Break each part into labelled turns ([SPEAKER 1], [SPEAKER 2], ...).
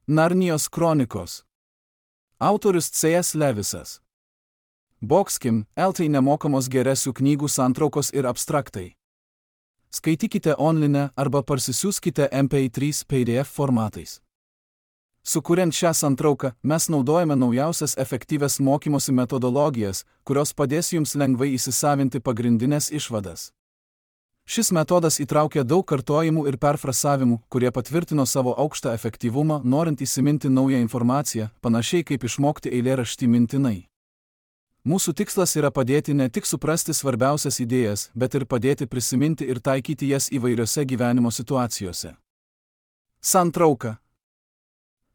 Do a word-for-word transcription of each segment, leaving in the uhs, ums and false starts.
[SPEAKER 1] Narnijos kronikos. Autorius C S Levisas. Boxkim, eltai nemokamos geresių knygų santraukos ir abstraktai. Skaitykite online arba parsisiųskite M P trys P D F formatais. Sukuriant šią santrauką, mes naudojame naujausias efektyvias mokymosi metodologijas, kurios padės jums lengvai įsisavinti pagrindinės išvadas. Šis metodas įtraukia daug kartojimų ir perfrasavimų, kurie patvirtino savo aukštą efektyvumą, norint įsiminti naują informaciją, panašiai kaip išmokti eilėraštį mintinai. Mūsų tikslas yra padėti ne tik suprasti svarbiausias idėjas, bet ir padėti prisiminti ir taikyti jas įvairiose gyvenimo situacijose. Santrauka.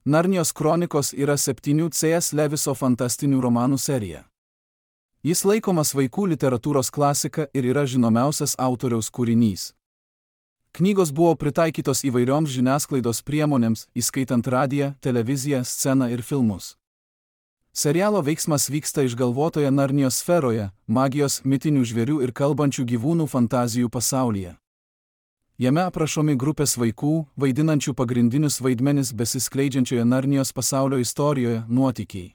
[SPEAKER 1] Narnijos kronikos yra septynių C S Leviso fantastinių romanų serija. Jis laikomas vaikų literatūros klasika ir yra žinomiausias autoriaus kūrinys. Knygos buvo pritaikytos įvairioms žiniasklaidos priemonėms, įskaitant radiją, televiziją, sceną ir filmus. Serialo veiksmas vyksta išgalvotoje Narnijos sferoje, magijos, mitinių žvėrių ir kalbančių gyvūnų fantazijų pasaulyje. Jame aprašomi grupės vaikų, vaidinančių pagrindinius vaidmenis besiskleidžiančioje Narnijos pasaulio istorijoje, nuotykiai.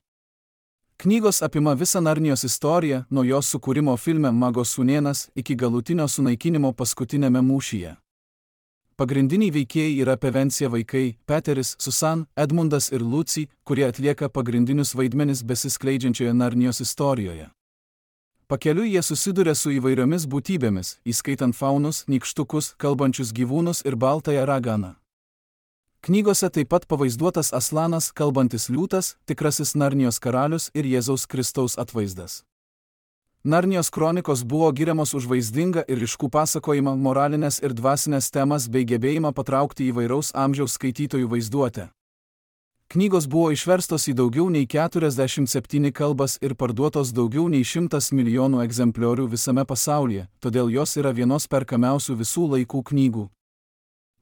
[SPEAKER 1] Knygos apima visą Narnijos istoriją, nuo jos sukūrimo filme Mago sūnėnas iki galutinio sunaikinimo paskutinėme mūšyje. Pagrindiniai veikėjai yra Pevencija vaikai, Peteris, Susan, Edmundas ir Lucy, kurie atlieka pagrindinius vaidmenis besiskleidžiančioje Narnijos istorijoje. Pakeliui jie susiduria su įvairiomis būtybėmis, įskaitant faunus, nykštukus, kalbančius gyvūnus ir baltąją raganą. Knygose taip pat pavaizduotas Aslanas, kalbantis liūtas, tikrasis Narnijos karalius ir Jėzaus Kristaus atvaizdas. Narnijos kronikos buvo giriamos už vaizdingą ir ryškų pasakojimą, moralinės ir dvasinės temas bei gebėjimą patraukti įvairaus amžiaus skaitytojų vaizduotę. Knygos buvo išverstos į daugiau nei keturiasdešimt septynias kalbas ir parduotos daugiau nei šimtas milijonų egzempliorių visame pasaulyje, todėl jos yra vienos perkamiausių visų laikų knygų.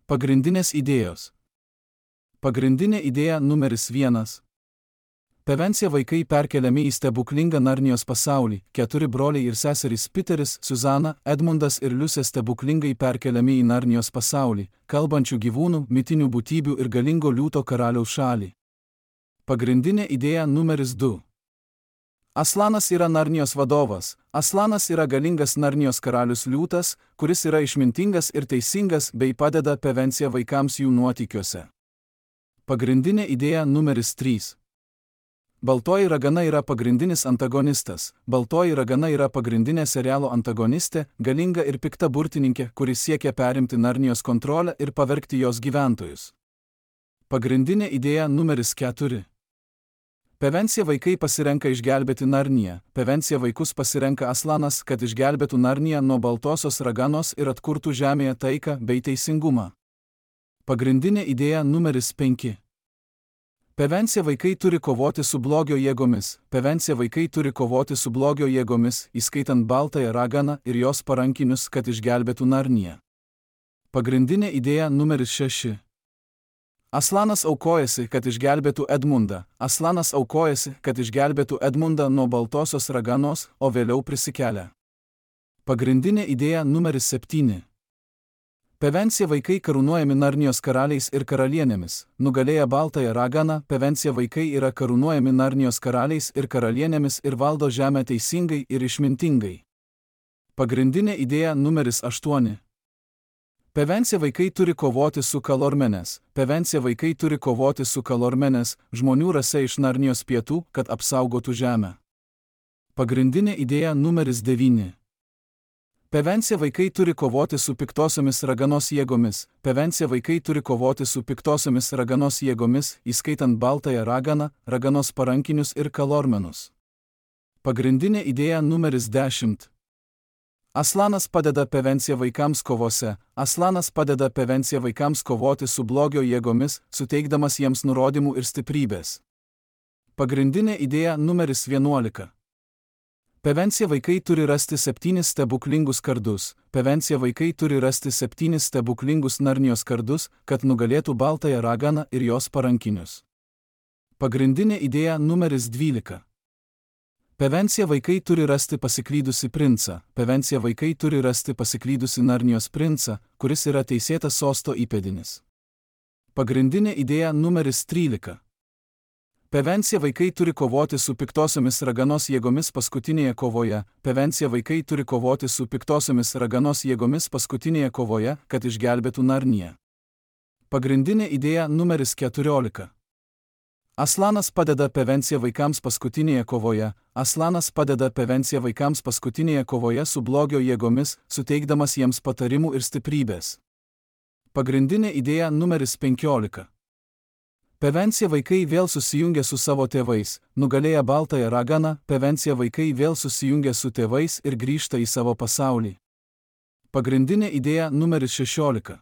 [SPEAKER 1] Pagrindinės idėjos. Pagrindinė idėja numeris vienas. Pevencija vaikai perkeliami į stebuklingą Narnijos pasaulį, keturi broliai ir seserys Peteris, Suzana, Edmundas ir Liusė stebuklingai perkeliami į Narnijos pasaulį, kalbančių gyvūnų, mitinių būtybių ir galingo liūto karaliaus šalį. Pagrindinė idėja numeris du. Aslanas yra Narnijos vadovas. Aslanas yra galingas Narnijos karalius liūtas, kuris yra išmintingas ir teisingas bei padeda Pevencija vaikams jų nuotykiuose. Pagrindinė idėja numeris trys. Baltoji ragana yra pagrindinis antagonistas. Baltoji ragana yra pagrindinė serialo antagonistė, galinga ir pikta burtininkė, kuri siekia perimti Narnijos kontrolę ir pavergti jos gyventojus. Pagrindinė idėja numeris keturi. Pevencija vaikai pasirenka išgelbėti Narniją. Pevencija vaikus pasirenka Aslanas, kad išgelbėtų Narniją nuo baltosios raganos ir atkurtų žemėje taiką bei teisingumą. Pagrindinė idėja numeris penki. Pevencija vaikai turi kovoti su blogio jėgomis. Pevencija vaikai turi kovoti su blogio jėgomis, įskaitant baltąją raganą ir jos parankinius, kad išgelbėtų Narniją. Pagrindinė idėja numeris šeši. Aslanas aukojasi, kad išgelbėtų Edmundą. Aslanas aukojasi, kad išgelbėtų Edmundą nuo baltosios raganos, o vėliau prisikelia. Pagrindinė idėja numeris septyni. Pevencija vaikai karūnuojami Narnijos karaliais ir karalienėmis. Nugalėję baltąją raganą, Pevencija vaikai yra karūnuojami Narnijos karaliais ir karalienėmis ir valdo žemę teisingai ir išmintingai. Pagrindinė idėja numeris aštuoni. Pevencija vaikai turi kovoti su Kalormenės. Pevencija vaikai turi kovoti su Kalormenės, žmonių rase iš Narnijos pietų, kad apsaugotų žemę. Pagrindinė idėja numeris devyni. Pevencija vaikai turi kovoti su piktosiomis raganos jėgomis. Pevencija vaikai turi kovoti su piktosiomis raganos jėgomis, įskaitant baltąją raganą, raganos parankinius ir kalormenus. Pagrindinė idėja numeris dešimt. Aslanas padeda Pevencija vaikams kovose. Aslanas padeda Pevencija vaikams kovoti su blogio jėgomis, suteikdamas jiems nurodymų ir stiprybės. Pagrindinė idėja numeris vienuolika. Pevencija vaikai turi rasti septynis stebuklingus kardus. Pevencija vaikai turi rasti septynis stebuklingus Narnijos kardus, kad nugalėtų baltąją raganą ir jos parankinius. Pagrindinė idėja numeris dvylika. Pevencija vaikai turi rasti pasiklydusi princą. Pevencija vaikai turi rasti pasiklydusi Narnijos princą, kuris yra teisėtas sosto įpėdinis. Pagrindinė idėja numeris trylika. Prevencija vaikai turi kovoti su piktosiomis raganos jėgomis paskutinėje kovoje. Prevencija vaikai turi kovoti su piktosiomis raganos jėgomis paskutinėje kovoje, kad išgelbėtų Narniją. Pagrindinė idėja numeris keturiolika. Aslanas padeda prevencija vaikams paskutinėje kovoje. Aslanas padeda prevencija vaikams paskutinėje kovoje su blogio jėgomis, suteikdamas jiems patarimų ir stiprybės. Pagrindinė idėja numeris penkiolika. Prevencija vaikai vėl susijungia su savo tėvais, nugalėję baltąją raganą, prevencija vaikai vėl susijungia su tėvais ir grįžta į savo pasaulį. Pagrindinė idėja numeris šešiolika.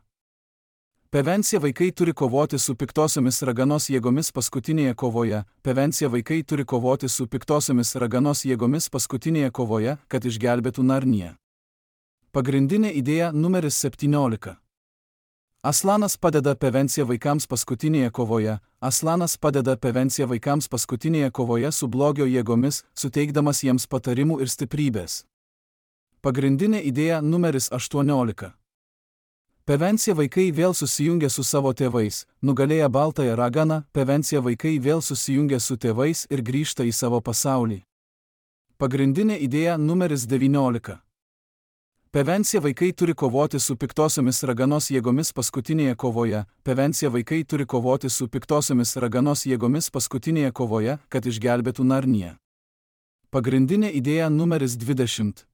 [SPEAKER 1] Prevencija vaikai turi kovoti su piktosiomis raganos jėgomis paskutinėje kovoje. Prevencija vaikai turi kovoti su piktosiomis raganos jėgomis paskutinėje kovoje, kad išgelbėtų Narniją. Pagrindinė idėja numeris septyniolika. Aslanas padeda prevencija vaikams paskutinėje kovoje. Aslanas padeda prevencija vaikams paskutinėje kovoje su blogio jėgomis, suteikdamas jiems patarimų ir stiprybės. Pagrindinė idėja numeris aštuoniolika. Prevencija vaikai vėl susijungia su savo tėvais, nugalėję baltąją raganą, prevencija vaikai vėl susijungia su tėvais ir grįžta į savo pasaulį. Pagrindinė idėja numeris devyniolika. Prevencija vaikai turi kovoti su piktosiomis raganos jėgomis paskutinėje kovoje. Prevencija vaikai turi kovoti su piktosiomis raganos jėgomis paskutinėje kovoje, kad išgelbėtų Narniją. Pagrindinė idėja numeris dvidešimt.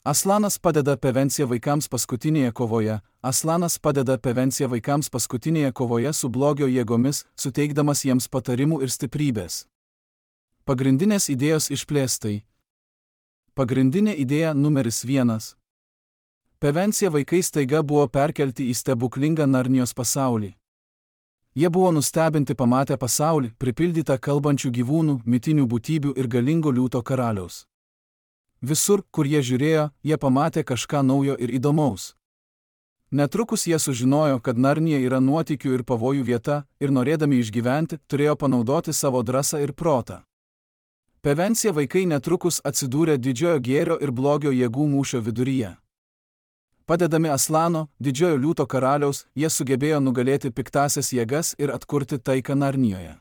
[SPEAKER 1] Aslanas padeda prevencija vaikams paskutinėje kovoje. Aslanas padeda prevencija vaikams paskutinėje kovoje su blogio jėgomis, suteikdamas jiems patarimų ir stiprybės. Pagrindinės idėjos išplėstai. Pagrindinė idėja numeris vienas. Prevencija vaikai staiga buvo perkelti į stebuklingą Narnijos pasaulį. Jie buvo nustebinti pamatę pasaulį, pripildytą kalbančių gyvūnų, mitinių būtybių ir galingo liūto karaliaus. Visur, kur jie žiūrėjo, jie pamatė kažką naujo ir įdomaus. Netrukus jie sužinojo, kad Narnija yra nuotykių ir pavojų vieta, ir norėdami išgyventi, turėjo panaudoti savo drąsą ir protą. Prevencija vaikai netrukus atsidūrė didžiojo gėrio ir blogio jėgų mūšio viduryje. Padedami Aslano, didžiojo liūto karaliaus, jie sugebėjo nugalėti piktasias jėgas ir atkurti taiką Narnijoje.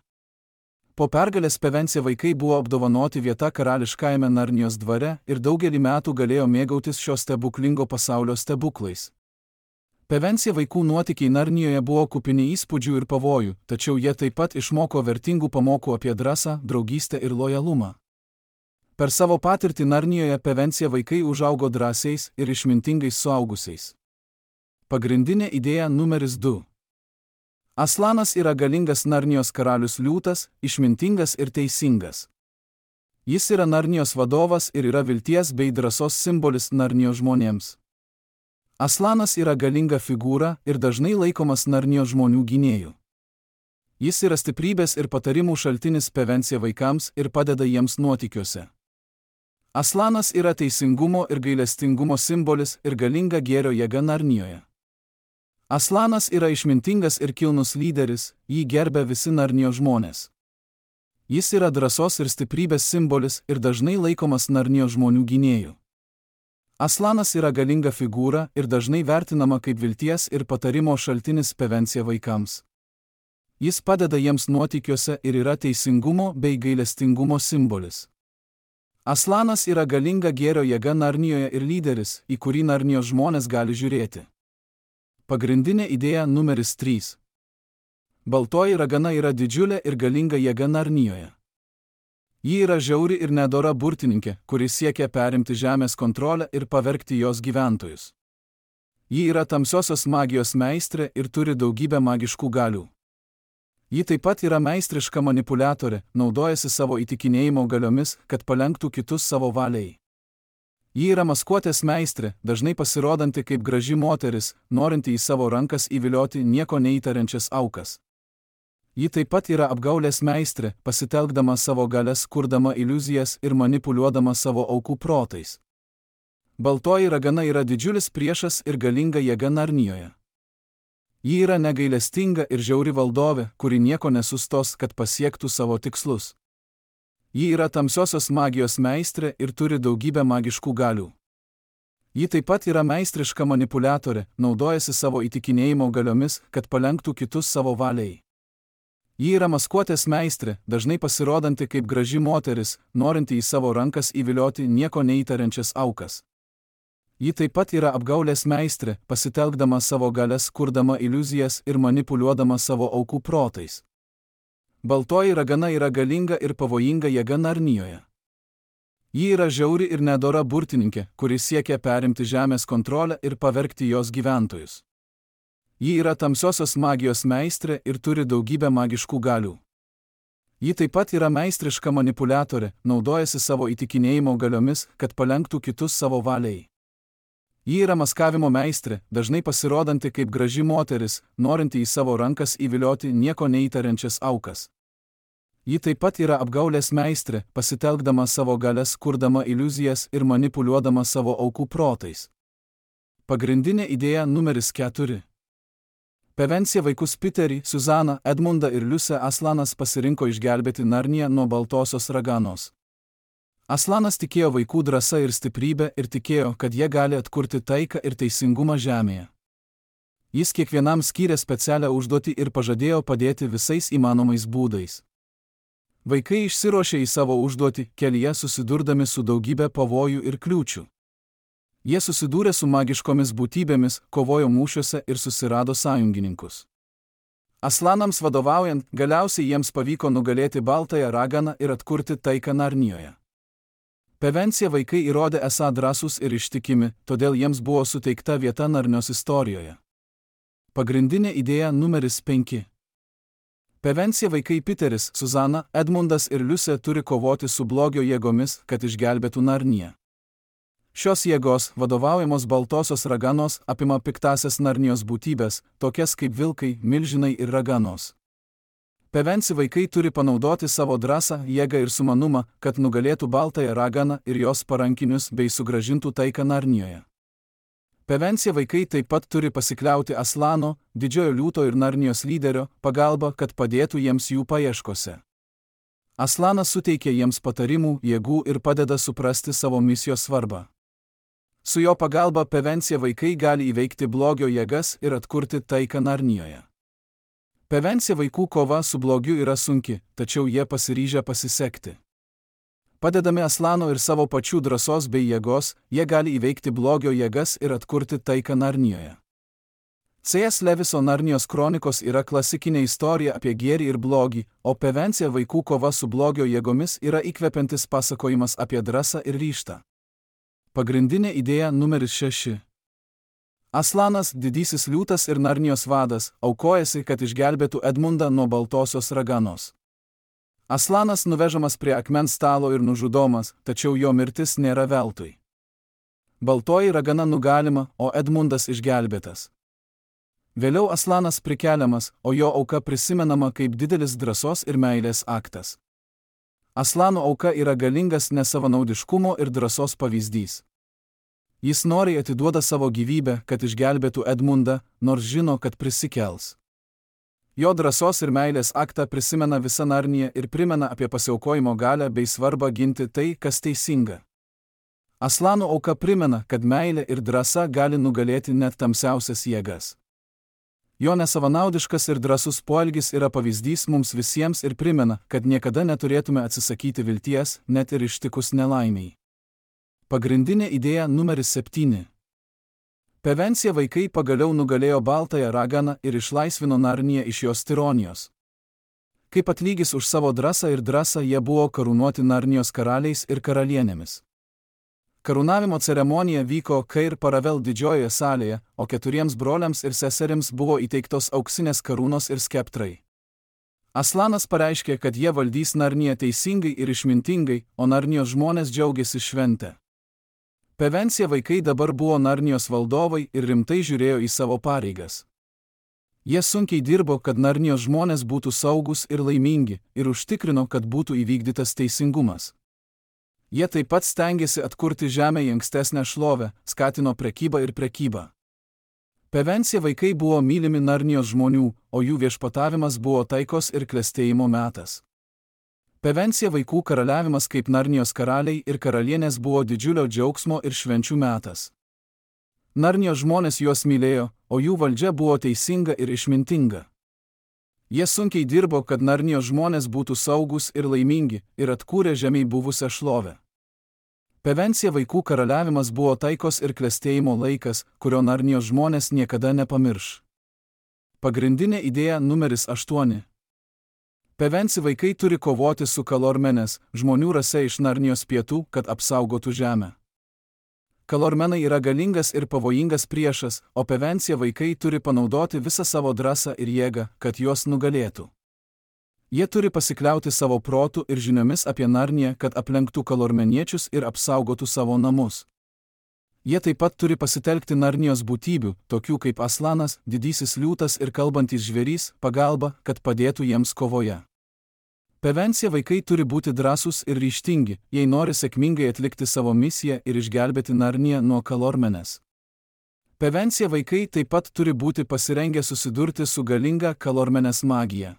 [SPEAKER 1] Po pergalės prevencija vaikai buvo apdovanoti vieta karališkajame Narnijos dvare ir daugelį metų galėjo mėgautis šio stebuklingo pasaulio stebuklais. Prevencija vaikų nuotykiai Narnijoje buvo kupini įspūdžių ir pavojų, tačiau jie taip pat išmoko vertingų pamokų apie drąsą, draugystę ir lojalumą. Per savo patirtį Narnijoje prevencija vaikai užaugo drąsiais ir išmintingais suaugusiais. Pagrindinė idėja numeris du. Aslanas yra galingas Narnijos karalius liūtas, išmintingas ir teisingas. Jis yra Narnijos vadovas ir yra vilties bei drąsos simbolis Narnijos žmonėms. Aslanas yra galinga figūra ir dažnai laikomas Narnijos žmonių gynėju. Jis yra stiprybės ir patarimų šaltinis prevencija vaikams ir padeda jiems nuotykiuose. Aslanas yra teisingumo ir gailestingumo simbolis ir galinga gėrio jėga Narnijoje. Aslanas yra išmintingas ir kilnus lyderis, jį gerbia visi Narnijos žmonės. Jis yra drąsos ir stiprybės simbolis ir dažnai laikomas Narnijos žmonių gynėju. Aslanas yra galinga figūra ir dažnai vertinama kaip vilties ir patarimo šaltinis prevencija vaikams. Jis padeda jiems nuotykiuose ir yra teisingumo bei gailestingumo simbolis. Aslanas yra galinga gėrio jėga Narnijoje ir lyderis, į kurį Narnijos žmonės gali žiūrėti. Pagrindinė idėja numeris trys. Baltoji ragana yra didžiulė ir galinga jėga Narnijoje. Ji yra žiauri ir nedora burtininkė, kuris siekia perimti žemės kontrolę ir pavergti jos gyventojus. Ji yra tamsiosios magijos meistrė ir turi daugybę magiškų galių. Ji taip pat yra meistriška manipuliatorė, naudojasi savo įtikinėjimo galiomis, kad palenktų kitus savo valiai. Ji yra maskuotės meistrė, dažnai pasirodanti kaip graži moteris, norinti į savo rankas įvilioti nieko neįtariančias aukas. Ji taip pat yra apgaulės meistrė, pasitelkdama savo galias, kurdama iliuzijas ir manipuliuodama savo aukų protais. Baltoji ragana yra didžiulis priešas ir galinga jėga Narnijoje. Ji yra negailestinga ir žiauri valdovė, kuri nieko nesustos, kad pasiektų savo tikslus. Ji yra tamsiosios magijos meistrė ir turi daugybę magiškų galių. Ji taip pat yra meistriška manipuliatorė, naudojasi savo įtikinėjimo galiomis, kad palenktų kitus savo valiai. Ji yra maskuotės meistrė, dažnai pasirodanti kaip graži moteris, norinti į savo rankas įvilioti nieko neįtariančias aukas. Ji taip pat yra apgaulės meistrė, pasitelkdama savo galias, kurdama iliuzijas ir manipuliuodama savo aukų protais. Baltoji ragana yra galinga ir pavojinga jėga Narnijoje. Ji yra žiauri ir nedora burtininkė, kuri siekia perimti žemės kontrolę ir pavergti jos gyventojus. Ji yra tamsiosios magijos meistrė ir turi daugybę magiškų galių. Ji taip pat yra meistriška manipuliatorė, naudojasi savo įtikinėjimo galiomis, kad palenktų kitus savo valiai. Ji yra maskavimo meistrė, dažnai pasirodanti kaip graži moteris, norinti į savo rankas įvilioti nieko neįtariančias aukas. Ji taip pat yra apgaulės meistrė, pasitelkdama savo galias, kurdama iliuzijas ir manipuliuodama savo aukų protais. Pagrindinė idėja numeris keturi. Prevencija vaikus Piterį, Suzaną, Edmundą ir Liusę Aslanas pasirinko išgelbėti Narniją nuo baltosios raganos. Aslanas tikėjo vaikų drąsa ir stiprybė ir tikėjo, kad jie gali atkurti taiką ir teisingumą žemėje. Jis kiekvienam skyrė specialią užduotį ir pažadėjo padėti visais įmanomais būdais. Vaikai išsiruošė į savo užduotį, kelyje susidurdami su daugybė pavojų ir kliūčių. Jie susidūrė su magiškomis būtybėmis, kovojo mūšiuose ir susirado sąjungininkus. Aslanams vadovaujant, galiausiai jiems pavyko nugalėti baltąją raganą ir atkurti taiką Narnijoje. Prevencija vaikai įrodė esą drąsūs ir ištikimi, todėl jiems buvo suteikta vieta Narnios istorijoje. Pagrindinė idėja numeris penki. Prevencija vaikai Piteris, Suzana, Edmundas ir Liusė turi kovoti su blogio jėgomis, kad išgelbėtų Narniją. Šios jėgos, vadovaujamos baltosios raganos, apima piktasias Narnijos būtybės, tokias kaip vilkai, milžinai ir raganos. Prevencija vaikai turi panaudoti savo drąsą, jėgą ir sumanumą, kad nugalėtų baltąją raganą ir jos parankinius bei sugrąžintų taiką Narnijoje. Prevencija vaikai taip pat turi pasikliauti Aslano, didžiojo liūto ir Narnijos lyderio, pagalba, kad padėtų jiems jų paieškose. Aslanas suteikia jiems patarimų, jėgų ir padeda suprasti savo misijos svarbą. Su jo pagalba prevencija vaikai gali įveikti blogio jėgas ir atkurti taiką Narnijoje. Prevencija vaikų kova su blogiu yra sunki, tačiau jie pasiryžę pasisekti. Padedami Aslano ir savo pačių drąsos bei jėgos, jie gali įveikti blogio jėgas ir atkurti taiką Narnijoje. C S Leviso Narnijos kronikos yra klasikinė istorija apie gėrį ir blogį, o prevencija vaikų kova su blogio jėgomis yra įkvepiantis pasakojimas apie drąsą ir ryžtą. Pagrindinė idėja numeris šeši. Aslanas, didysis liūtas ir Narnijos vadas, aukojasi, kad išgelbėtų Edmundą nuo baltosios raganos. Aslanas nuvežamas prie akmens stalo ir nužudomas, tačiau jo mirtis nėra veltui. Baltoji ragana nugalima, o Edmundas išgelbėtas. Vėliau Aslanas prikeliamas, o jo auka prisimenama kaip didelis drąsos ir meilės aktas. Aslano auka yra galingas nesavanaudiškumo ir drąsos pavyzdys. Jis noriai atiduoda savo gyvybę, kad išgelbėtų Edmundą, nors žino, kad prisikels. Jo drąsos ir meilės aktą prisimena visa Narnija ir primena apie pasiaukojimo galią bei svarbą ginti tai, kas teisinga. Aslano auka primena, kad meilė ir drąsa gali nugalėti net tamsiausias jėgas. Jo nesavanaudiškas ir drąsus poelgis yra pavyzdys mums visiems ir primena, kad niekada neturėtume atsisakyti vilties, net ir ištikus nelaimiai. Pagrindinė idėja numeris septyni. Prevencija vaikai pagaliau nugalėjo baltąją raganą ir išlaisvino Narniją iš jos tironijos. Kaip atlygis už savo drąsą ir drąsą jie buvo karūnuoti Narnijos karaliais ir karalienėmis. Karūnavimo ceremonija vyko Kair Paravel didžiojoje salėje, o keturiems broliams ir seserims buvo įteiktos auksinės karūnos ir skeptrai. Aslanas pareiškė, kad jie valdys Narniją teisingai ir išmintingai, o Narnijos žmonės džiaugiasi šventę. Prevencija vaikai dabar buvo Narnijos valdovai ir rimtai žiūrėjo į savo pareigas. Jie sunkiai dirbo, kad Narnijos žmonės būtų saugus ir laimingi, ir užtikrino, kad būtų įvykdytas teisingumas. Jie taip pat stengėsi atkurti žemę į ankstesnę šlovę, skatino prekybą ir prekybą. Prevencija vaikai buvo mylimi Narnijos žmonių, o jų viešpatavimas buvo taikos ir klestėjimo metas. Prevencija vaikų karaliavimas kaip Narnijos karaliai ir karalienės buvo didžiulio džiaugsmo ir švenčių metas. Narnijos žmonės juos mylėjo, o jų valdžia buvo teisinga ir išmintinga. Jie sunkiai dirbo, kad Narnijos žmonės būtų saugus ir laimingi, ir atkūrė žemėj buvusią šlovę. Pevencija vaikų karaliavimas buvo taikos ir klestėjimo laikas, kurio Narnijos žmonės niekada nepamirš. Pagrindinė idėja numeris aštuoni. Pevenci vaikai turi kovoti su Kalormenės, žmonių rase iš Narnijos pietų, kad apsaugotų žemę. Kalormenai yra galingas ir pavojingas priešas, o Pevencija vaikai turi panaudoti visą savo drąsą ir jėgą, kad juos nugalėtų. Jie turi pasikliauti savo protu ir žiniomis apie Narniją, kad aplenktų kalormeniečius ir apsaugotų savo namus. Jie taip pat turi pasitelkti Narnijos būtybių, tokių kaip Aslanas, didysis liūtas ir kalbantis žvėrys, pagalba, kad padėtų jiems kovoje. Pevencija vaikai turi būti drąsūs ir ryžtingi, jei nori sėkmingai atlikti savo misiją ir išgelbėti Narniją nuo Kalormenės. Pevencija vaikai taip pat turi būti pasirengę susidurti su galinga Kalormenės magija.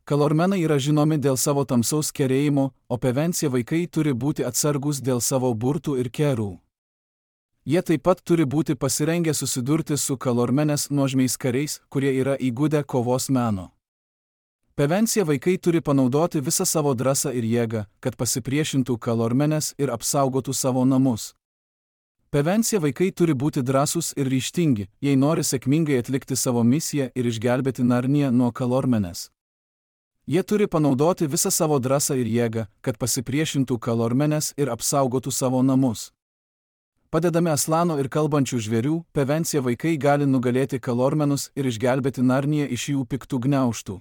[SPEAKER 1] Kalormenai yra žinomi dėl savo tamsaus kerėjimo, o Pevencija vaikai turi būti atsargus dėl savo burtų ir kerų. Jie taip pat turi būti pasirengę susidurti su Kalormenės nuožmiais kariais, kurie yra įgudę kovos meno. Pevencija vaikai turi panaudoti visą savo drąsą ir jėgą, kad pasipriešintų Kalormenės ir apsaugotų savo namus. Pevencija vaikai turi būti drąsūs ir ryžtingi, jei nori sėkmingai atlikti savo misiją ir išgelbėti Narniją nuo Kalormenės. Jie turi panaudoti visą savo drąsą ir jėgą, kad pasipriešintų Kalormenės ir apsaugotų savo namus. Padedami Aslano ir kalbančių žvėrių, Pevencija vaikai gali nugalėti Kalormenus ir išgelbėti Narniją iš jų piktų gniaužtų.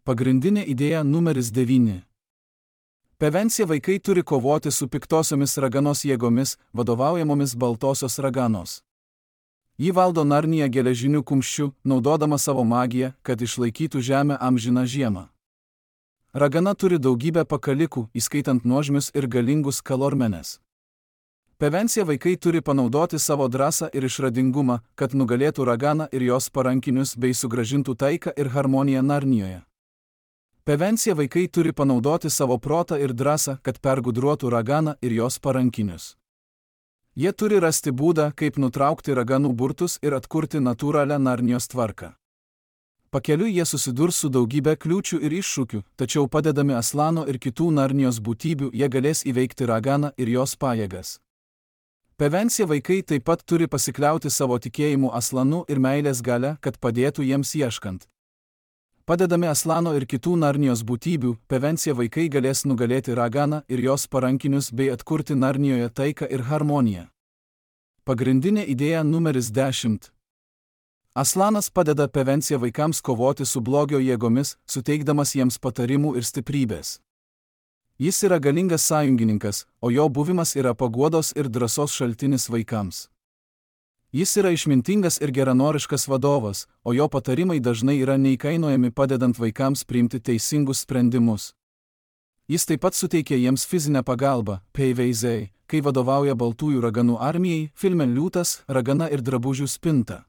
[SPEAKER 1] Pagrindinė idėja numeris devyni. Pevencija vaikai turi kovoti su piktosiomis raganos jėgomis, vadovaujamomis baltosios raganos. Ji valdo Narniją geležiniu kumščiu, naudodama savo magiją, kad išlaikytų žemę amžiną žiemą. Ragana turi daugybę pakalikų, įskaitant nuožmius ir galingus Kalormenės. Pevencija vaikai turi panaudoti savo drąsą ir išradingumą, kad nugalėtų raganą ir jos parankinius bei sugrąžintų taiką ir harmoniją Narnijoje. Pevencija vaikai turi panaudoti savo protą ir drąsą, kad pergudruotų raganą ir jos parankinius. Jie turi rasti būdą, kaip nutraukti raganų burtus ir atkurti natūralią Narnijos tvarką. Pakeliui jie susidurs su daugybė kliūčių ir iššūkių, tačiau padedami Aslano ir kitų Narnijos būtybių jie galės įveikti raganą ir jos pajėgas. Pevencija vaikai taip pat turi pasikliauti savo tikėjimu Aslanu ir meilės galia, kad padėtų jiems ieškant. Padedami Aslano ir kitų Narnijos būtybių, Pevencija vaikai galės nugalėti raganą ir jos parankinius bei atkurti Narnijoje taiką ir harmoniją. Pagrindinė idėja numeris dešimt. Aslanas padeda Pevencija vaikams kovoti su blogio jėgomis, suteikdamas jiems patarimų ir stiprybės. Jis yra galingas sąjungininkas, o jo buvimas yra paguodos ir drąsos šaltinis vaikams. Jis yra išmintingas ir geranoriškas vadovas, o jo patarimai dažnai yra neįkainojami padedant vaikams priimti teisingus sprendimus. Jis taip pat suteikia jiems fizinę pagalbą, Peiveiziai, kai vadovauja baltųjų raganų armijai, filme Liūtas, ragana ir drabužių spinta.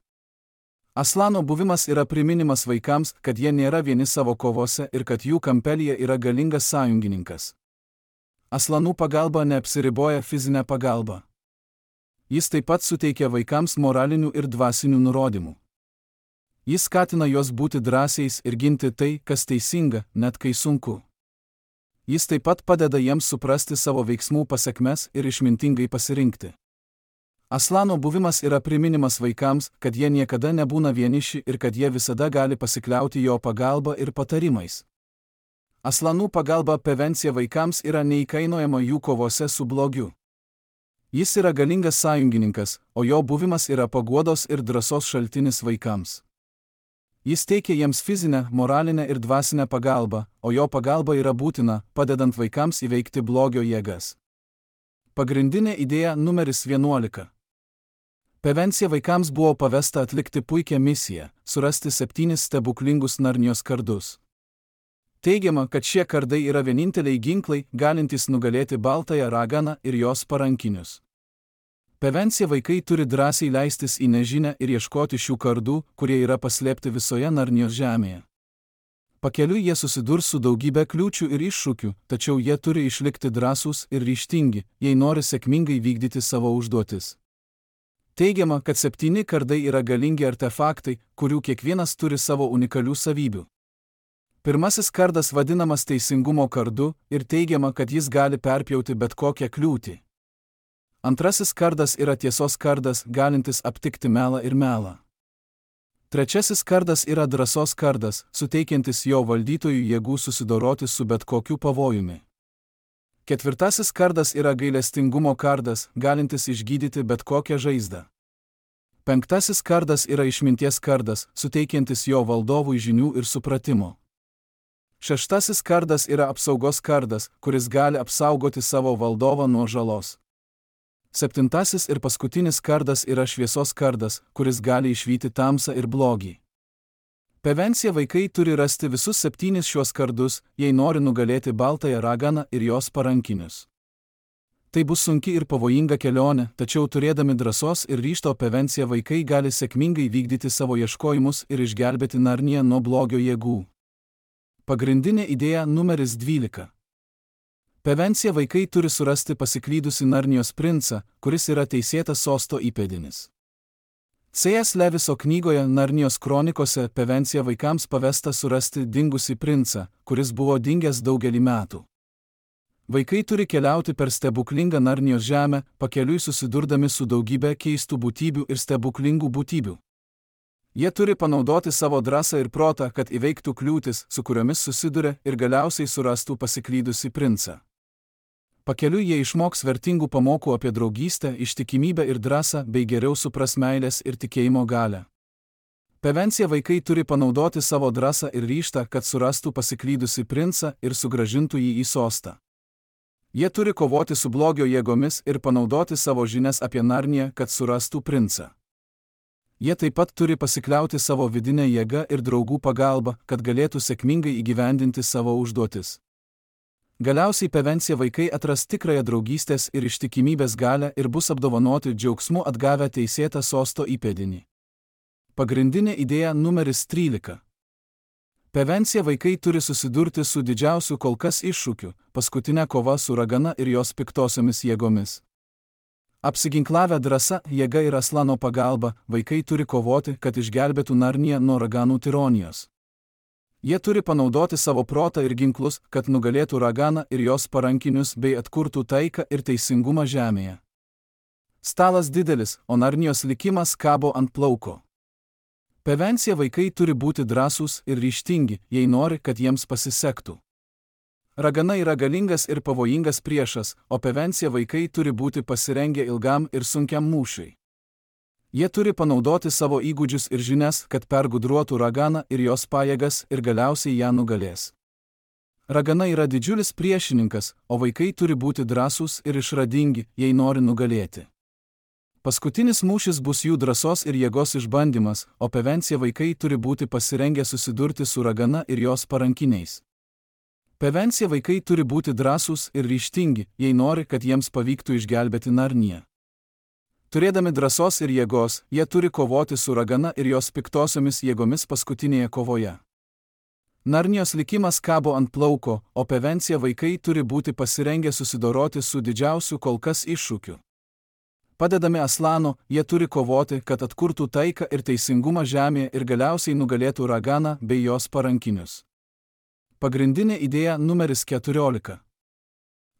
[SPEAKER 1] Aslano buvimas yra priminimas vaikams, kad jie nėra vieni savo kovose ir kad jų kampelyje yra galingas sąjungininkas. Aslanų pagalba neapsiriboja fizinę pagalbą. Jis taip pat suteikia vaikams moralinių ir dvasinių nurodymų. Jis skatina juos būti drąsiais ir ginti tai, kas teisinga, net kai sunku. Jis taip pat padeda jiems suprasti savo veiksmų pasekmes ir išmintingai pasirinkti. Aslano buvimas yra priminimas vaikams, kad jie niekada nebūna vieniši ir kad jie visada gali pasikliauti jo pagalba ir patarimais. Aslanų pagalba Pevencija vaikams yra neįkainojama jų kovose su blogiu. Jis yra galingas sąjungininkas, o jo buvimas yra paguodos ir drąsos šaltinis vaikams. Jis teikia jiems fizinę, moralinę ir dvasinę pagalbą, o jo pagalba yra būtina, padedant vaikams įveikti blogio jėgas. Pagrindinė idėja numeris vienuolika. Pevencija vaikams buvo pavesta atlikti puikią misiją – surasti septynis stebuklingus Narnijos kardus. Teigiama, kad šie kardai yra vieninteliai ginklai, galintys nugalėti baltąją raganą ir jos parankinius. Pevencija vaikai turi drąsiai leistis į nežinę ir ieškoti šių kardų, kurie yra paslėpti visoje Narnijos žemėje. Pakeliui jie susidurs su daugybė kliūčių ir iššūkių, tačiau jie turi išlikti drąsūs ir ryžtingi, jei nori sėkmingai vykdyti savo užduotis. Teigiama, kad septyni kardai yra galingi artefaktai, kurių kiekvienas turi savo unikalių savybių. Pirmasis kardas vadinamas teisingumo kardu ir teigiama, kad jis gali perpjauti bet kokią kliūtį. Antrasis kardas yra tiesos kardas, galintis aptikti melą ir melą. Trečiasis kardas yra drąsos kardas, suteikiantis jo valdytojui jėgų susidoroti su bet kokiu pavojumi. Ketvirtasis kardas yra gailestingumo kardas, galintis išgydyti bet kokią žaizdą. Penktasis kardas yra išminties kardas, suteikiantis jo valdovui žinių ir supratimo. Šeštasis kardas yra apsaugos kardas, kuris gali apsaugoti savo valdovą nuo žalos. Septintasis ir paskutinis kardas yra šviesos kardas, kuris gali išvyti tamsą ir blogį. Prevencija vaikai turi rasti visus septynis šiuos kardus, jei nori nugalėti baltąją raganą ir jos parankinius. Tai bus sunki ir pavojinga kelionė, tačiau turėdami drąsos ir ryžto prevenciją vaikai gali sėkmingai vykdyti savo ieškojimus ir išgelbėti Narniją nuo blogio jėgų. Pagrindinė idėja numeris dvylika. Prevencija vaikai turi surasti pasiklydusi Narnijos princą, kuris yra teisėtas sosto įpėdinis. C S Leviso knygoje Narnijos kronikose prevencija vaikams pavesta surasti dingusį princą, kuris buvo dingęs daugelį metų. Vaikai turi keliauti per stebuklingą Narnijos žemę, pakeliui susidurdami su daugybė keistų būtybių ir stebuklingų būtybių. Jie turi panaudoti savo drąsą ir protą, kad įveiktų kliūtis, su kuriomis susiduria ir galiausiai surastų pasiklydusį princą. Pakeliui jie išmoks vertingų pamokų apie draugystę, ištikimybę ir drąsą, bei geriau supras meilės ir tikėjimo galią. Prevencija vaikai turi panaudoti savo drąsą ir ryžtą, kad surastų pasiklydusį princą ir sugrąžintų jį į sostą. Jie turi kovoti su blogio jėgomis ir panaudoti savo žinias apie Narniją, kad surastų princą. Jie taip pat turi pasikliauti savo vidinę jėgą ir draugų pagalbą, kad galėtų sėkmingai įgyvendinti savo užduotis. Galiausiai prevencija vaikai atras tikrąją draugystės ir ištikimybės galią ir bus apdovanoti džiaugsmu atgavę teisėtą sosto įpėdinį. Pagrindinė idėja numeris trylika. Prevencija vaikai turi susidurti su didžiausiu kol kas iššūkiu – paskutinė kova su ragana ir jos piktosiomis jėgomis. Apsiginklavę drąsa, jėga ir aslano pagalba, vaikai turi kovoti, kad išgelbėtų Narniją nuo raganų tironijos. Jie turi panaudoti savo protą ir ginklus, kad nugalėtų raganą ir jos parankinius bei atkurtų taiką ir teisingumą žemėje. Stalas didelis, o Narnijos likimas kabo ant plauko. Prevencija vaikai turi būti drąsūs ir ryžtingi, jei nori, kad jiems pasisektų. Ragana yra galingas ir pavojingas priešas, o prevencija vaikai turi būti pasirengę ilgam ir sunkiam mūšiui. Jie turi panaudoti savo įgūdžius ir žinias, kad pergudruotų raganą ir jos pajėgas ir galiausiai ją nugalės. Ragana yra didžiulis priešininkas, o vaikai turi būti drąsūs ir išradingi, jei nori nugalėti. Paskutinis mūšis bus jų drąsos ir jėgos išbandymas, o prevencija vaikai turi būti pasirengę susidurti su ragana ir jos parankiniais. Prevencija vaikai turi būti drąsūs ir ryžtingi, jei nori, kad jiems pavyktų išgelbėti Narniją. Turėdami drąsos ir jėgos, jie turi kovoti su ragana ir jos piktosiomis jėgomis paskutinėje kovoje. Narnijos likimas kabo ant plauko, o prevencija vaikai turi būti pasirengę susidoroti su didžiausiu kol kas iššūkiu. Padedami aslano, jie turi kovoti, kad atkurtų taiką ir teisingumą žemėje ir galiausiai nugalėtų raganą bei jos parankinius. Pagrindinė idėja numeris keturiolika.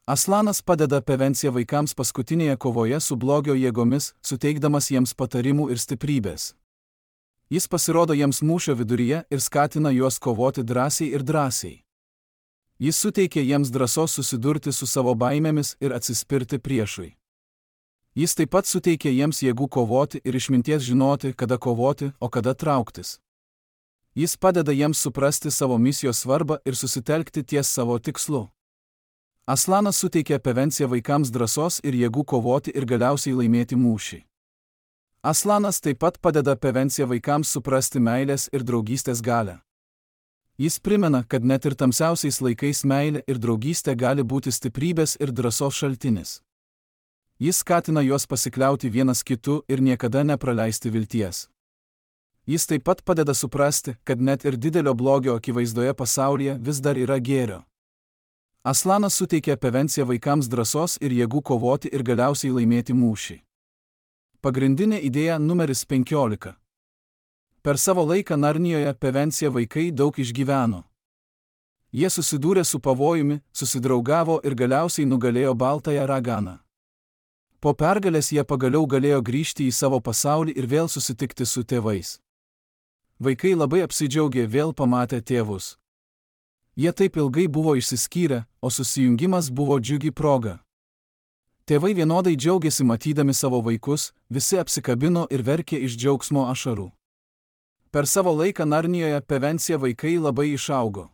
[SPEAKER 1] Aslanas padeda prevenciją vaikams paskutinėje kovoje su blogio jėgomis, suteikdamas jiems patarimų ir stiprybės. Jis pasirodo jiems mūšio viduryje ir skatina juos kovoti drąsiai ir drąsiai. Jis suteikia jiems drąsos susidurti su savo baimėmis ir atsispirti priešui. Jis taip pat suteikia jiems jėgų kovoti ir išminties žinoti, kada kovoti, o kada trauktis. Jis padeda jiems suprasti savo misijos svarbą ir susitelkti ties savo tikslu. Aslanas suteikia prevenciją vaikams drąsos ir jėgų kovoti ir galiausiai laimėti mūšį. Aslanas taip pat padeda prevenciją vaikams suprasti meilės ir draugystės galią. Jis primena, kad net ir tamsiausiais laikais meilė ir draugystė gali būti stiprybės ir drąsos šaltinis. Jis skatina juos pasikliauti vienas kitu ir niekada nepraleisti vilties. Jis taip pat padeda suprasti, kad net ir didelio blogio akivaizdoje pasaulyje vis dar yra gėrio. Aslanas suteikia prevenciją vaikams drąsos ir jėgų kovoti ir galiausiai laimėti mūšį. Pagrindinė idėja numeris penkiolika. Per savo laiką Narnijoje Pevensie vaikai daug išgyveno. Jie susidūrė su pavojumi, susidraugavo ir galiausiai nugalėjo baltąją raganą. Po pergalės jie pagaliau galėjo grįžti į savo pasaulį ir vėl susitikti su tėvais. Vaikai labai apsidžiaugė vėl pamatę tėvus. Jie taip ilgai buvo išsiskyrę, o susijungimas buvo džiugi proga. Tėvai vienodai džiaugiasi matydami savo vaikus, visi apsikabino ir verkė iš džiaugsmo ašarų. Per savo laiką Narnijoje Pevensie vaikai labai išaugo.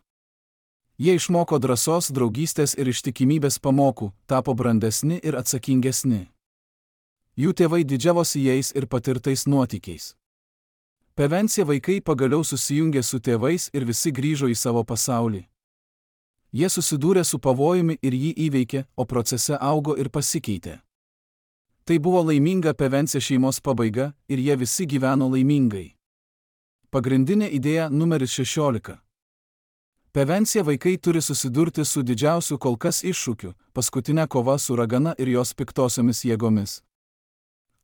[SPEAKER 1] Jie išmoko drąsos, draugystės ir ištikimybės pamokų, tapo brandesni ir atsakingesni. Jų tėvai didžiavosi jais ir patirtais nuotykiais. Pevensie vaikai pagaliau susijungė su tėvais ir visi grįžo į savo pasaulį. Jie susidūrė su pavojumi ir jį įveikė, o procese augo ir pasikeitė. Tai buvo laiminga Pevensie šeimos pabaiga ir jie visi gyveno laimingai. Pagrindinė idėja numeris šešiolika. Pevensie vaikai turi susidurti su didžiausiu kol kas iššūkiu – paskutinė kova su ragana ir jos piktosiomis jėgomis.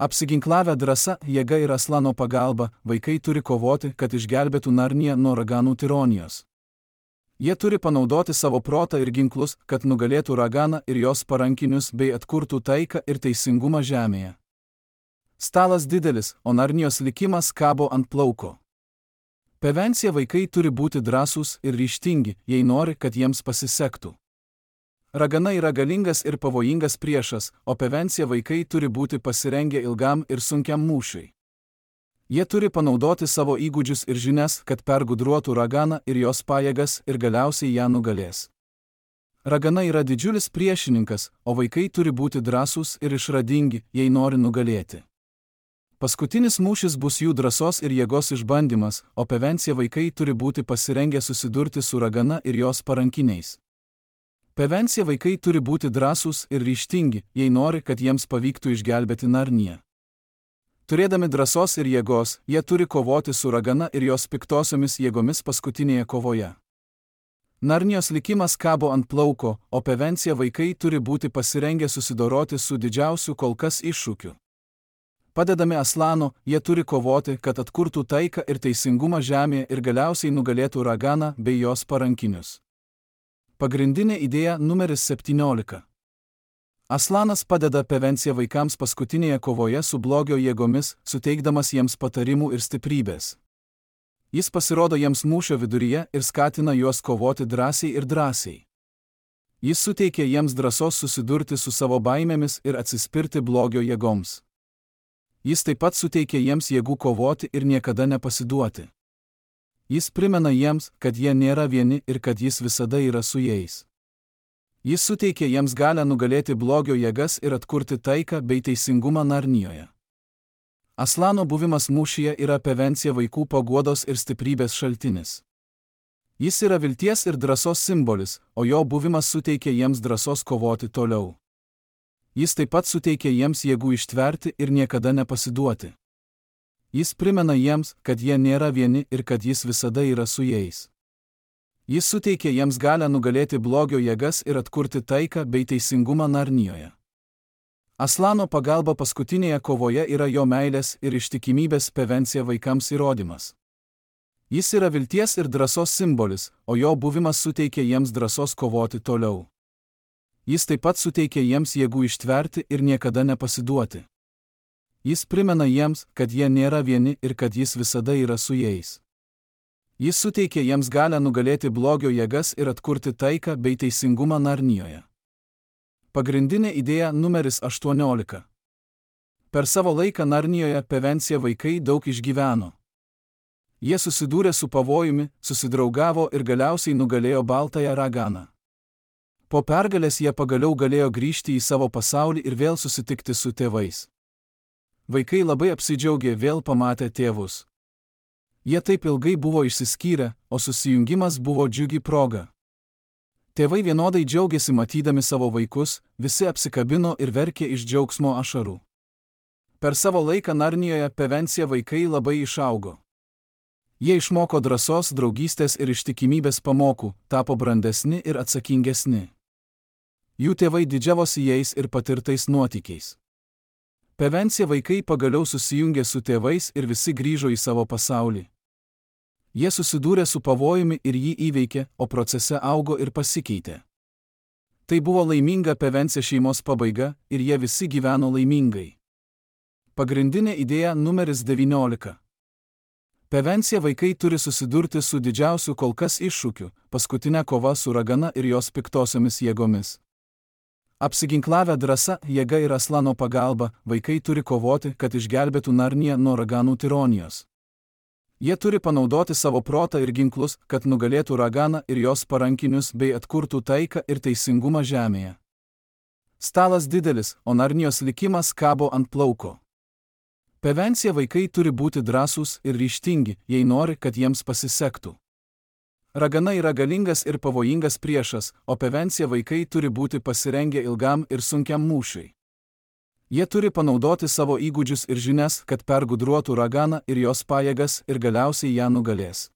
[SPEAKER 1] Apsiginklavę drąsa, jėga ir Aslano pagalba, vaikai turi kovoti, kad išgelbėtų Narniją nuo raganų tironijos. Jie turi panaudoti savo protą ir ginklus, kad nugalėtų raganą ir jos parankinius bei atkurtų taiką ir teisingumą žemėje. Stalas didelis, o Narnijos likimas kabo ant plauko. Pevensie vaikai turi būti drąsūs ir ryžtingi, jei nori, kad jiems pasisektų. Ragana yra galingas ir pavojingas priešas, o Pevensie vaikai turi būti pasirengę ilgam ir sunkiam mūšiui. Jie turi panaudoti savo įgūdžius ir žinias, kad pergudruotų raganą ir jos pajėgas ir galiausiai ją nugalės. Ragana yra didžiulis priešininkas, o vaikai turi būti drąsūs ir išradingi, jei nori nugalėti. Paskutinis mūšis bus jų drąsos ir jėgos išbandymas, o Pevensie vaikai turi būti pasirengę susidurti su ragana ir jos parankiniais. Pevensie vaikai turi būti drąsūs ir ryžtingi, jei nori, kad jiems pavyktų išgelbėti Narniją. Turėdami drąsos ir jėgos, jie turi kovoti su ragana ir jos piktosiomis jėgomis paskutinėje kovoje. Narnijos likimas kabo ant plauko, o Pevensie vaikai turi būti pasirengę susidoroti su didžiausiu kol kas iššūkiu. Padedami Aslano, jie turi kovoti, kad atkurtų taiką ir teisingumą žemėje ir galiausiai nugalėtų raganą bei jos parankinius. Pagrindinė idėja numeris septyniolika. Aslanas padeda Pevensie vaikams paskutinėje kovoje su blogio jėgomis, suteikdamas jiems patarimų ir stiprybės. Jis pasirodo jiems mūšio viduryje ir skatina juos kovoti drąsiai ir drąsiai. Jis suteikia jiems drąsos susidurti su savo baimėmis ir atsispirti blogio jėgoms. Jis taip pat suteikia jiems jėgų kovoti ir niekada nepasiduoti. Jis primena jiems, kad jie nėra vieni ir kad jis visada yra su jais. Jis suteikia jiems galią nugalėti blogio jėgas ir atkurti taiką bei teisingumą Narnijoje. Aslano buvimas mūšyje yra Pevensie vaikų paguodos ir stiprybės šaltinis. Jis yra vilties ir drąsos simbolis, o jo buvimas suteikia jiems drąsos kovoti toliau. Jis taip pat suteikia jiems jėgų ištverti ir niekada nepasiduoti. Jis primena jiems, kad jie nėra vieni ir kad jis visada yra su jais. Jis suteikia jiems galią nugalėti blogio jėgas ir atkurti taiką bei teisingumą Narnijoje. Aslano pagalba paskutinėje kovoje yra jo meilės ir ištikimybės Pevensie vaikams įrodymas. Jis yra vilties ir drąsos simbolis, o jo buvimas suteikia jiems drąsos kovoti toliau. Jis taip pat suteikia jiems jėgų ištverti ir niekada nepasiduoti. Jis primena jiems, kad jie nėra vieni ir kad jis visada yra su jais. Jis suteikia jiems galią nugalėti blogio jėgas ir atkurti taiką bei teisingumą Narnijoje. Pagrindinė idėja numeris aštuoniolika. Per savo laiką Narnijoje Pevensie vaikai daug išgyveno. Jie susidūrė su pavojumi, susidraugavo ir galiausiai nugalėjo baltąją raganą. Po pergalės jie pagaliau galėjo grįžti į savo pasaulį ir vėl susitikti su tėvais. Vaikai labai apsidžiaugė vėl pamatę tėvus. Jie taip ilgai buvo išsiskyrę, o susijungimas buvo džiugi proga. Tėvai vienodai džiaugiasi matydami savo vaikus, visi apsikabino ir verkė iš džiaugsmo ašarų. Per savo laiką Narnijoje Pevensie vaikai labai išaugo. Jie išmoko drąsos, draugystės ir ištikimybės pamokų, tapo brandesni ir atsakingesni. Jų tėvai didžiavosi jais ir patirtais nuotykiais. Prevencija vaikai pagaliau susijungė su tėvais ir visi grįžo į savo pasaulį. Jie susidūrė su pavojumi ir jį įveikė, o procese augo ir pasikeitė. Tai buvo laiminga prevencija šeimos pabaiga ir jie visi gyveno laimingai. Pagrindinė idėja numeris devyniolika. Prevencija vaikai turi susidurti su didžiausiu kol kas iššūkiu – paskutinė kova su ragana ir jos piktosiomis jėgomis. Apsiginklavę drąsa, jėga ir Aslano pagalba, vaikai turi kovoti, kad išgelbėtų Narniją nuo raganų tironijos. Jie turi panaudoti savo protą ir ginklus, kad nugalėtų raganą ir jos parankinius bei atkurtų taiką ir teisingumą žemėje. Stalas didelis, o Narnijos likimas kabo ant plauko. Prevencija vaikai turi būti drąsūs ir ryžtingi, jei nori, kad jiems pasisektų. Ragana yra galingas ir pavojingas priešas, o prevencija vaikai turi būti pasirengę ilgam ir sunkiam mūšiui. Jie turi panaudoti savo įgūdžius ir žinias, kad pergudruotų raganą ir jos pajėgas ir galiausiai ją nugalės.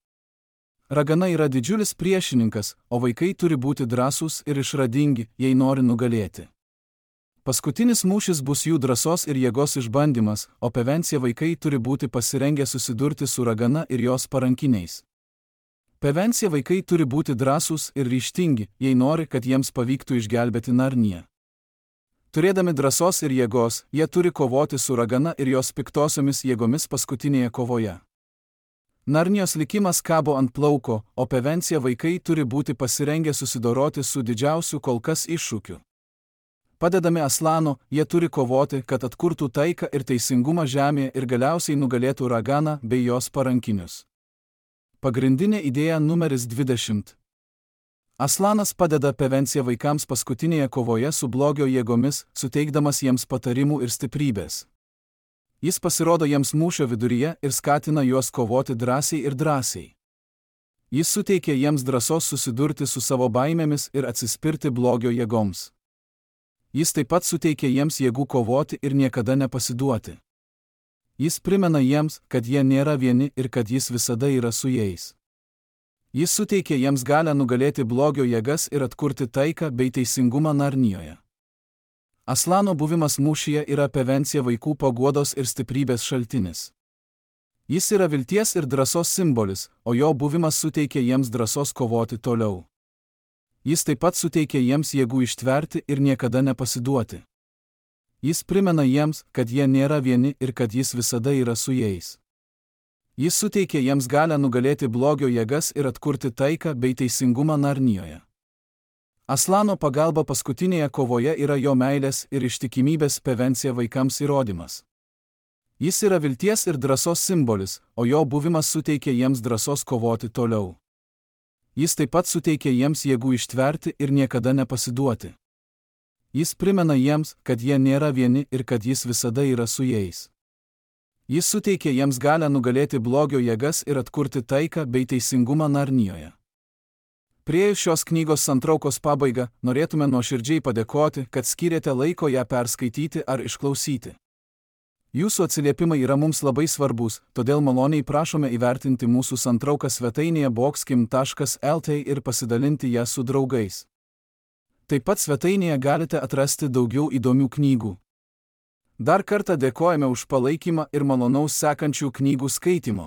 [SPEAKER 1] Ragana yra didžiulis priešininkas, o vaikai turi būti drąsūs ir išradingi, jei nori nugalėti. Paskutinis mūšis bus jų drąsos ir jėgos išbandymas, o prevencija vaikai turi būti pasirengę susidurti su ragana ir jos parankiniais. Prevencija vaikai turi būti drąsūs ir ryžtingi, jei nori, kad jiems pavyktų išgelbėti Narniją. Turėdami drąsos ir jėgos, jie turi kovoti su ragana ir jos piktosiomis jėgomis paskutinėje kovoje. Narnijos likimas kabo ant plauko, o prevencija vaikai turi būti pasirengę susidoroti su didžiausiu kol kas iššūkiu. Padedami Aslano, jie turi kovoti, kad atkurtų taiką ir teisingumą žemėje ir galiausiai nugalėtų raganą bei jos parankinius. Pagrindinė idėja numeris dvidešimt. Aslanas padeda prevencija vaikams paskutinėje kovoje su blogio jėgomis, suteikdamas jiems patarimų ir stiprybės. Jis pasirodo jiems mūšio viduryje ir skatina juos kovoti drąsiai ir drąsiai. Jis suteikia jiems drąsos susidurti su savo baimėmis ir atsispirti blogio jėgoms. Jis taip pat suteikia jiems jėgų kovoti ir niekada nepasiduoti. Jis primena jiems, kad jie nėra vieni ir kad jis visada yra su jais. Jis suteikia jiems galią nugalėti blogio jėgas ir atkurti taiką bei teisingumą Narnijoje. Aslano buvimas mūšyje yra prevencija vaikų paguodos ir stiprybės šaltinis. Jis yra vilties ir drąsos simbolis, o jo buvimas suteikia jiems drąsos kovoti toliau. Jis taip pat suteikia jiems jėgų ištverti ir niekada nepasiduoti. Jis primena jiems, kad jie nėra vieni ir kad jis visada yra su jais. Jis suteikia jiems galią nugalėti blogio jėgas ir atkurti taiką bei teisingumą Narnijoje. Aslano pagalba paskutinėje kovoje yra jo meilės ir ištikimybės prevencija vaikams įrodymas. Jis yra vilties ir drąsos simbolis, o jo buvimas suteikia jiems drąsos kovoti toliau. Jis taip pat suteikia jiems jėgų ištverti ir niekada nepasiduoti. Jis primena jiems, kad jie nėra vieni ir kad jis visada yra su jais. Jis suteikia jiems galią nugalėti blogio jėgas ir atkurti taiką bei teisingumą Narnijoje. Priėjus šios knygos santraukos pabaigą, norėtume nuoširdžiai padėkoti, kad skyrėte laiko ją perskaityti ar išklausyti. Jūsų atsiliepimai yra mums labai svarbus, todėl maloniai prašome įvertinti mūsų santrauką svetainėje boxkim taškas lt ir pasidalinti ją su draugais. Taip pat svetainėje galite atrasti daugiau įdomių knygų. Dar kartą dėkojame už palaikymą ir malonaus sekančių knygų skaitimo.